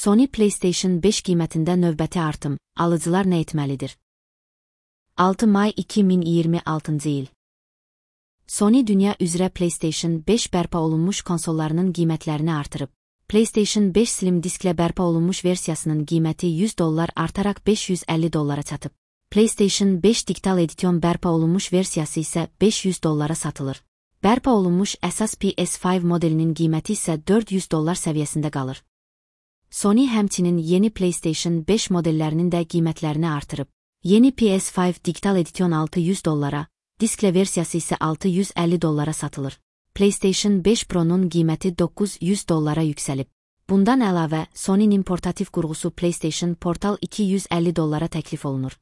Sony PlayStation 5 qiymətində növbəti artım, alıcılar nə etməlidir? 6 may 2026 il. Sony dünya üzrə PlayStation 5 bərpa olunmuş konsollarının qiymətlərini artırıb. PlayStation 5 Slim disklə bərpa olunmuş versiyasının qiyməti $100 artaraq $550 çatıb. PlayStation 5 Digital Edition bərpa olunmuş versiyası isə $500 satılır. Bərpa olunmuş əsas PS5 modelinin qiyməti isə $400 səviyyəsində qalır. Sony həmçinin yeni PlayStation 5 modellərinin də qiymətlərini artırıb. Yeni PS5 Digital Edition $600, disklə versiyası isə $650 satılır. PlayStation 5 Pro-nun qiyməti $900 yüksəlib. Bundan əlavə, Sony'nin portativ qurğusu PlayStation Portal $250 təklif olunur.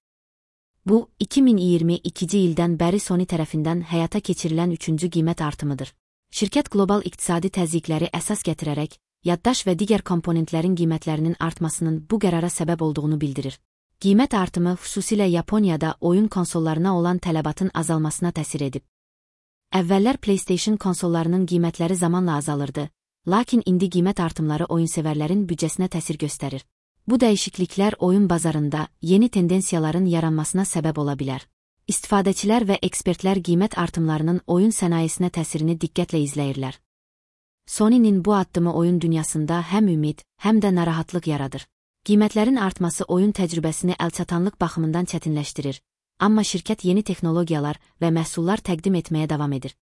Bu, 2022-ci ildən bəri Sony tərəfindən həyata keçirilən 3-cü qiymət artımıdır. Şirkət qlobal iqtisadi təzyiqləri əsas gətirərək, yaddaş və digər komponentlərin qiymətlərinin artmasının bu qərara səbəb olduğunu bildirir. Qiymət artımı xüsusilə Yaponiyada oyun konsollarına olan tələbatın azalmasına təsir edib. Əvvəllər PlayStation konsollarının qiymətləri zamanla azalırdı, lakin indi qiymət artımları oyunsevərlərin büdcəsinə təsir göstərir. Bu dəyişikliklər oyun bazarında yeni tendensiyaların yaranmasına səbəb ola bilər. İstifadəçilər və ekspertlər qiymət artımlarının oyun sənayesinə təsirini diqqətlə izləyirlər. Sony'nin bu addımı oyun dünyasında həm ümid, həm də narahatlıq yaradır. Qiymətlərin artması oyun təcrübəsini əlçatanlıq baxımından çətinləşdirir, amma şirkət yeni texnologiyalar və məhsullar təqdim etməyə davam edir.